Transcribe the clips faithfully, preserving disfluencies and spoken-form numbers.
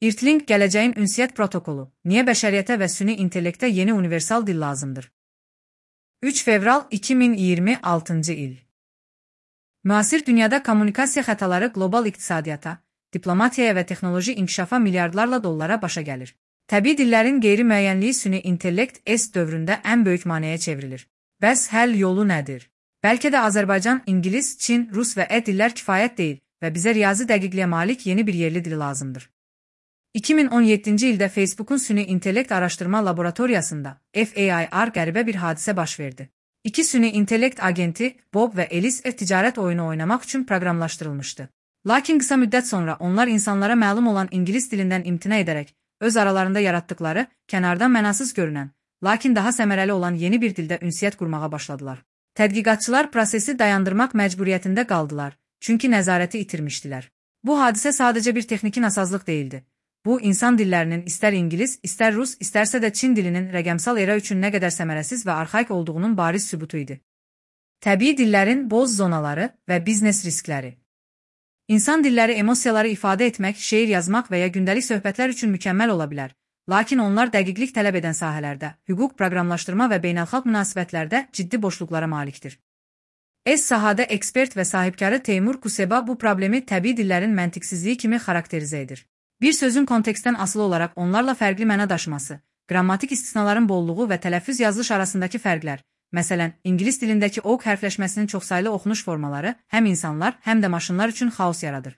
İRTLink gələcəyin ünsiyyət protokolu. Niyə bəşəriyyətə və süni intellektə yeni universal dil lazımdır? üç fevral iki min iyirmi altıncı il. Müasir dünyada kommunikasiya xətaları qlobal iqtisadiyyata, diplomatiyaya və texnoloji inkişafa milyardlarla dollara başa gəlir. Təbii dillərin qeyri-müəyyənliyi süni intellekt S dövründə ən böyük maneəyə çevrilir. Bəs həll yolu nədir? Bəlkə də Azərbaycan, İngilis, Çin, Rus və E dillər kifayət deyil və bizə riyazi dəqiqliyə malik yeni bir yerli dil lazımdır. iki min on yeddinci ildə Facebook'un süni intellekt araşdırma laboratoriyasında F A I R qəribə bir hadisə baş verdi. İki süni intellekt agenti, Bob və Alice ticarət oyunu oynamaq üçün proqramlaşdırılmışdı. Lakin qısa müddət sonra onlar insanlara məlum olan ingilis dilindən imtina edərək, öz aralarında yaratdıkları, kənardan mənasız görünən, lakin daha səmərəli olan yeni bir dildə ünsiyyət qurmağa başladılar. Tədqiqatçılar prosesi dayandırmaq məcburiyyətində qaldılar, çünki nəzarəti itirmişdilər. Bu hadisə sadəcə bir texniki nasazlıq değildi. Bu, insan dillərinin istər İngilis, istər Rus, istərsə də Çin dilinin rəqəmsal era üçün nə qədər səmərəsiz və arxaik olduğunun bariz sübutu idi. Təbii dillərin boz zonaları və biznes riskləri. İnsan dilləri emosiyaları ifadə etmək, şeir yazmaq və ya gündəlik söhbətlər üçün mükəmməl ola bilər. Lakin onlar dəqiqlik tələb edən sahələrdə, hüquq, proqramlaşdırma və beynəlxalq münasibətlərdə ciddi boşluqlara malikdir. S sahədə ekspert və sahibkarı Teymur Kuseba bu problemi təbii dillərin məntiqsizliyi kimi xarakterizə edir. Bir sözün kontekstdən asılı olaraq onlarla fərqli məna daşıması, qrammatik istisnaların bolluğu və tələffüz yazılış arasındakı fərqlər, məsələn, İngilis dilindəki oq hərfləşməsinin çoxsaylı oxunuş formaları həm insanlar, həm də maşınlar üçün xaos yaradır.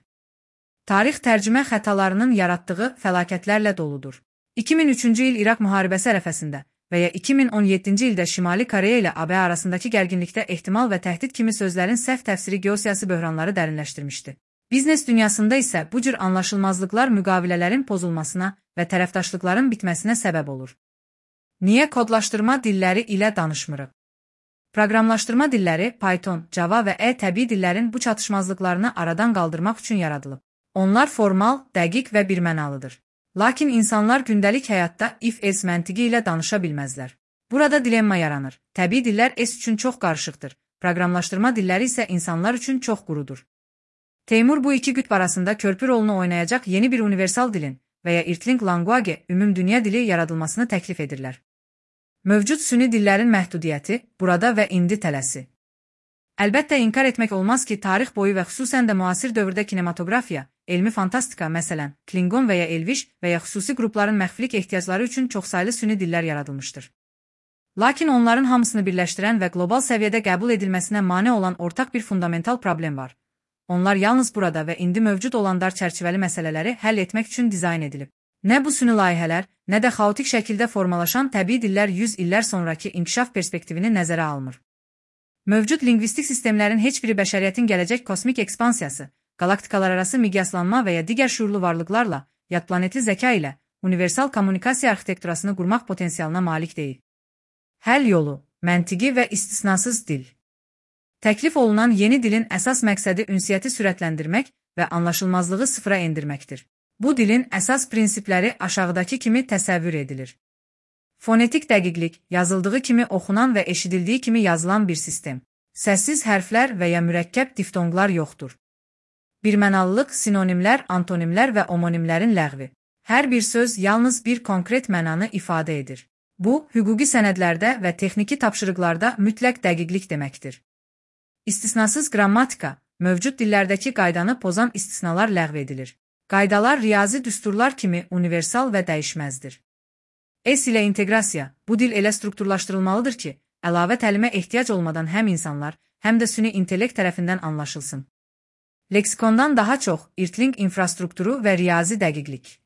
Tarix tərcümə xətalarının yaratdığı fəlakətlərlə doludur. iki min üçüncü il İraq müharibəsi ərəfəsində və ya iki min on yeddinci ildə Şimali Koreya ilə A B arasındakı gərginlikdə ehtimal və təhdid kimi sözlərin səhv təfsiri geosiyasi böhranları dərinləşdirmişdi. Biznes dünyasında isə bu cür anlaşılmazlıqlar müqavilələrin pozulmasına və tərəfdaşlıqların bitməsinə səbəb olur. Niyə kodlaşdırma dilləri ilə danışmırıq? Proqramlaşdırma dilləri Python, Java və E təbii dillərin bu çatışmazlıqlarını aradan qaldırmaq üçün yaradılıb. Onlar formal, dəqiq və birmənalıdır. Lakin insanlar gündəlik həyatda if-else məntiqi ilə danışa bilməzlər. Burada dilemma yaranır. Təbii dillər S üçün çox qarışıqdır. Proqramlaşdırma dilləri isə insanlar üçün çox qurudur. Teymur bu iki qütb arasında körpü rolunu oynayacaq yeni bir universal dilin və ya İRTLink Language ümumdünya dili yaradılmasını təklif edirlər. Mövcud süni dillərin məhdudiyyəti, burada və indi tələsi. Əlbəttə inkar etmək olmaz ki, tarix boyu və xüsusən də müasir dövrdə kinematografiya, elmi fantastika, məsələn, Klingon və ya Elviş və ya xüsusi qrupların məxfilik ehtiyacları üçün çoxsaylı süni dillər yaradılmışdır. Lakin onların hamısını birləşdirən və qlobal səviyyədə qəbul edilməsinə mane olan ortaq bir fundamental problem var. Onlar yalnız burada və indi mövcud olan dar çərçivəli məsələləri həll etmək üçün dizayn edilib. Nə bu süni layihələr, nə də xaotik şəkildə formalaşan təbii dillər yüz illər sonraki inkişaf perspektivini nəzərə almır. Mövcud lingvistik sistemlərin heç biri bəşəriyyətin gələcək kosmik ekspansiyası, qalaktikalar arası miqyaslanma və ya digər şuurlu varlıqlarla, yad planetli zəka ilə universal kommunikasiya arxitekturasını qurmaq potensialına malik deyil. Həll yolu, məntiqi və istisnasız dil. Təklif olunan yeni dilin əsas məqsədi ünsiyyəti sürətləndirmək və anlaşılmazlığı sıfıra endirməkdir. Bu dilin əsas prinsipləri aşağıdakı kimi təsəvvür edilir. Fonetik dəqiqlik, yazıldığı kimi oxunan və eşidildiyi kimi yazılan bir sistem. Səssiz hərflər və ya mürəkkəb diftonqlar yoxdur. Birmənalılıq, sinonimlər, antonimlər və omonimlərin ləğvi. Hər bir söz yalnız bir konkret mənanı ifadə edir. Bu, hüquqi sənədlərdə və texniki tapşırıqlarda mütləq dəqiqlik deməkdir. İstisnasız qrammatika, mövcud dillərdəki qaydanı pozan istisnalar ləğv edilir. Qaydalar riyazi düsturlar kimi universal və dəyişməzdir. S ilə inteqrasiya, bu dil elə strukturlaşdırılmalıdır ki, əlavə təlimə ehtiyac olmadan həm insanlar, həm də süni intellekt tərəfindən anlaşılsın. Leksikondan daha çox İRTLink infrastrukturu və riyazi dəqiqlik.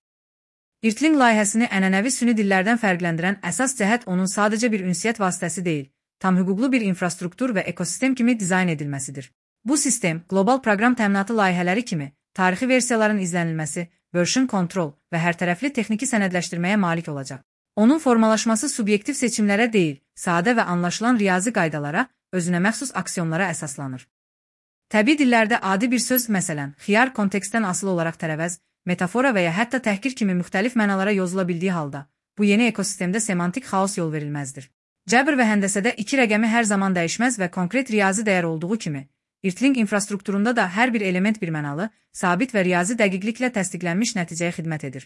İRTLink layihəsini ənənəvi süni dillərdən fərqləndirən əsas cəhət onun sadəcə bir ünsiyyət vasitəsi deyil, tam hüquqlu bir infrastruktur və ekosistem kimi dizayn edilməsidir. Bu sistem, qlobal proqram təminatı layihələri kimi, tarixi versiyaların izlənilməsi, version control və hərtərəfli texniki sənədləşdirməyə malik olacaq. Onun formalaşması subyektiv seçimlərə deyil, sadə və anlaşılan riyazi qaydalara, özünə məxsus aksiyonlara əsaslanır. Təbii dillərdə adi bir söz, məsələn, xiyar kontekstdən asılı olaraq tərəvəz, metafora və ya hətta təhqir kimi müxtəlif mənalara yozula bildiyi halda, bu yeni ekosistemdə semantik xaos yol verilməzdir. Cəbr və həndəsədə iki rəqəmi hər zaman dəyişməz və konkret riyazi dəyər olduğu kimi, İRTLink infrastrukturunda da hər bir element birmənalı, sabit və riyazi dəqiqliklə təsdiqlənmiş nəticəyə xidmət edir.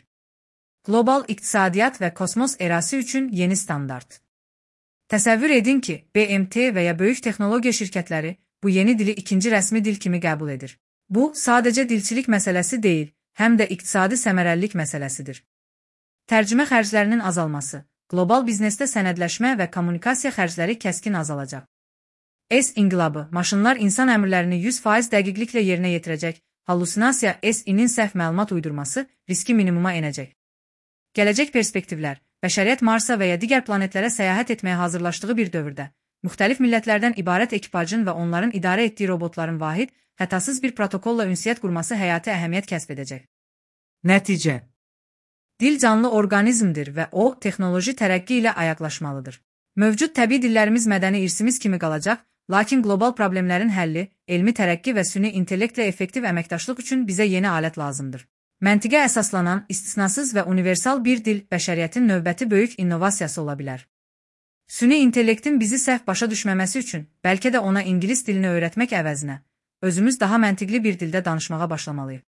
Global iqtisadiyyat və kosmos erası üçün yeni standart. Təsəvvür edin ki, B M T və ya böyük texnologiya şirkətləri bu yeni dili ikinci rəsmi dil kimi qəbul edir. Bu, sadəcə dilçilik məsələsi deyil, həm də iqtisadi səmərəlilik məsələsidir. Tərcümə xərclərinin azalması, qlobal biznesdə sənədləşmə və kommunikasiya xərcləri kəskin azalacaq. S inqilabı, maşınlar insan əmrlərini yüz faiz dəqiqliklə yerinə yetirəcək, hallusinasiya S I-nin səhv məlumat uydurması riski minimuma enəcək. Gələcək perspektivlər, bəşəriyyət Marsa və ya digər planetlərə səyahət etməyə hazırlaşdığı bir dövrdə, müxtəlif millətlərdən ibarət ekipajın və onların idarə etdiyi robotların vahid, hətasız bir protokolla ünsiyyət qurması həyati əhəmiyyət kəsb edəcək. Nəticə: Dil canlı orqanizmdir və o, texnoloji tərəqqi ilə ayaqlaşmalıdır. Mövcud təbii dillərimiz mədəni irsimiz kimi qalacaq, lakin qlobal problemlərin həlli, elmi tərəqqi və süni intellektlə effektiv əməkdaşlıq üçün bizə yeni alət lazımdır. Məntiqə əsaslanan, istisnasız və universal bir dil bəşəriyyətin növbəti böyük innovasiyası ola bilər. Süni intellektin bizi səhv başa düşməməsi üçün, bəlkə də ona ingilis dilini öyrətmək əvəzinə, özümüz daha məntiqli bir dildə danışmağa başlamalıyıq.